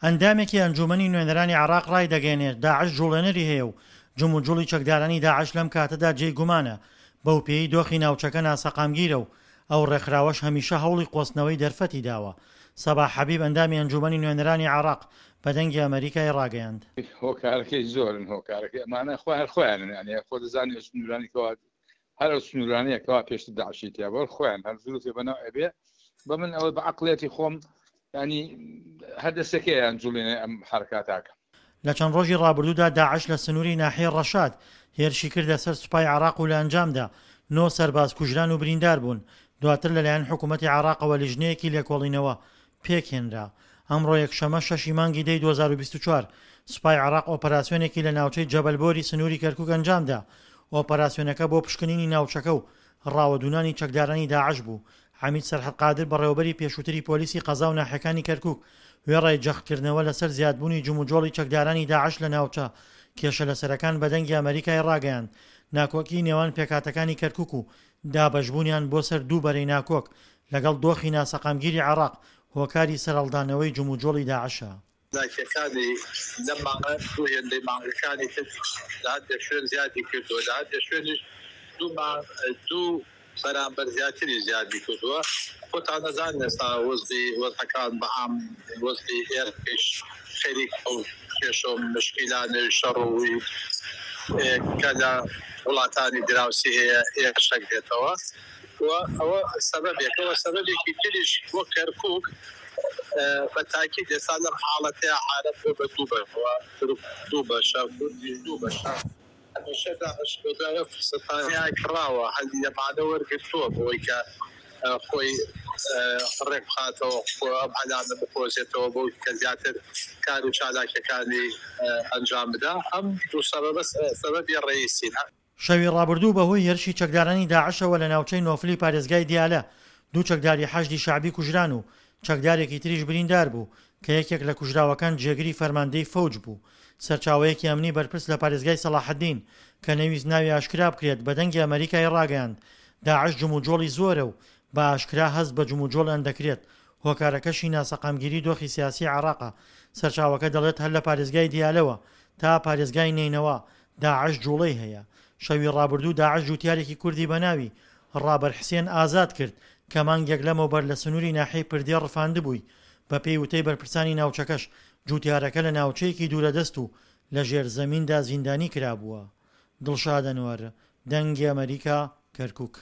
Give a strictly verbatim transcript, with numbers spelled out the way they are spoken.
ئەندامێکی ئەنجومەنی نوێنەرانی عێراق ڕایدەگەیەنێت، داعش جوڵێنەری هەیە و جموجوڵی چەکدارانی داعش لەم کاتەدا جێی گومانە، بەو پێیەی دۆخی ناوچەکە ناسەقامگیرە و ئەو ڕێکخراوەش هەمیشە هەوڵی قۆستنەوەی دەرفەتی داوە. سەباح حەبیب ئەندامی ئەنجومەنی نوێنەرانی عێراق بە دەنگی ئەمەریکای ڕاگەیاند. هۆکارەکەی زۆرن، هۆکارەکەی ئەمانە خۆ هەر خۆیانن، یعنی خۆ دەزانی ئەو سنوورانی کەوا هەر ئەو سنوورانەیە کەوا پێشتر داعشی تیا بووە، خۆیان هەر زروفێ بەناو ئەبێ. بە من ئەوە بە عەقڵیەتی خۆم ینی هەر دەستەکەیان جوڵێنێ ئەم حرکاتاکە. لە چەند ڕۆژی ڕابردوودا داعش لە سنووری ناحیەی ڕەشاد هێرشی کردە سەر سوپای عێراق و لە ئەنجامدا نۆ سەرباز کوژران و بریندار بوون، دواتر لەلایەن حکوومەتی عێراقەوە لیژنەیەکی لێکۆڵینەوە پێکهێنرا. ئەمڕۆ یەکشەممە شەشی مانگی دەی دوو هەزار و بیست و چوار سوپای عێراق ئۆپەراسیۆنێکی لە ناوچەی جەبەل بۆری سنووری کەرکووک ئەنجامدا. ئۆپەراسیۆنەکە بۆ پشکنینی ناوچەکە و ڕاوەدوونانی چەکدارانی داعش بوو. عەمید سەرحەد قادر بەڕێوەبەری پێشووتری پۆلیسی قەزا و ناحیەکانی کەرکووک وێڕای جەختکردنەوە لەسەر زیادبوونی جموجۆڵی چەکدارانی داعش لە ناوچە کێشە لەسەرەکان بە دەنگی ئەمەریکای ڕاگەیاند ناکۆکی نێوان پێکهاتەکانی کەرکووک و دابەشبوونیان بۆ سەر دوو بەرەی ناکۆک لەگەڵ دۆخی ناسەقامگیری عێراق هۆکاری سەرهەڵدانەوەی جموجۆڵی داعشە. چالاکیەکانی لەم مانگە دوو هێندەی مانگەکانی تر لە هەندێک شوێن زیادی کردووە، لە هەندێک شوێنیش دوو مانگ دوو بەرامبەر زیاتری زیادی کردووە. خۆتان نەزانن ئێستا وەزعی وەزعەکان بە عام وەزعی ئێرقیش خەریک ئەو کێشە و مشکیلانەی شەڕ و کە لە وڵاتانی دراوسی هەیە ئێشەک دێتەوە و ئەوە سەبەبێکەوە. سەبەبێکی تریش بۆ کەرکووک بە تاکید ئێستا لەم حاڵەتەیە عارەب بۆ بە دوو بەشەوە، تورک دوو بەشە، کوردیش دوو بەشە. هەمیشە داعش بەدوای ئەو فرسەتانەیە کڕاوە، هەلی لەمانە وەرگرتووە بۆی کە خۆی ڕێک بخاتەوە، خۆ ئەم هەلانە بقۆزێتەوە بۆ کە زیاتر کار و چالاکیەکانی ئەنجام بدا. ئەم دوو سەبەبە سەبەبی ڕئیسین. شەوی ڕابردوو بەهۆی هێرشی چەکدارانی داعشەوە لە ناوچەی نۆفلی پارێزگای دیالە دوو چەکداری حەشدی شەعبی کوژران و چەکدارێکی تریش بریندار بوو کە یەکێک لە کوژراوەکان جێگری فەرماندەی فەوج بوو. سەرچاوەیەکی ئەمنی بەرپرس لە پارێزگای سەڵاحەدین کە نەویست ناوی ئاشکرا بکرێت بە دەنگی ئەمەریکای ڕاگەیاند داعش جموجۆڵی زۆرە و بە ئاشکرا هەست بە جموجۆڵیان دەکرێت، هۆکارەکەشی ناسەقامگیری دۆخی سیاسی عێراقە. سەرچاوەکە دەڵێت هەر لە پارێزگای دیالەوە تا پارێزگای نەینەوا داعش جوڵەی هەیە. شەوی ڕابردوو داعش جوتیارێکی کوردی بە ناوی ڕابەر حسێن ئازاد کرد کە مانگێک لەمەوبەر لە سنووری ناحیەی پردێ ڕفاندبووی. بەپێی وتەی بەرپرسانی ناوچەکەش جوتیارەکە لە ناوچەیەکی دوورەدەست و لە ژێر زەمیندا زیندانی کرابووە. دڵشاد ئەنوەر، دەنگی ئەمەریکا، کەرکوک.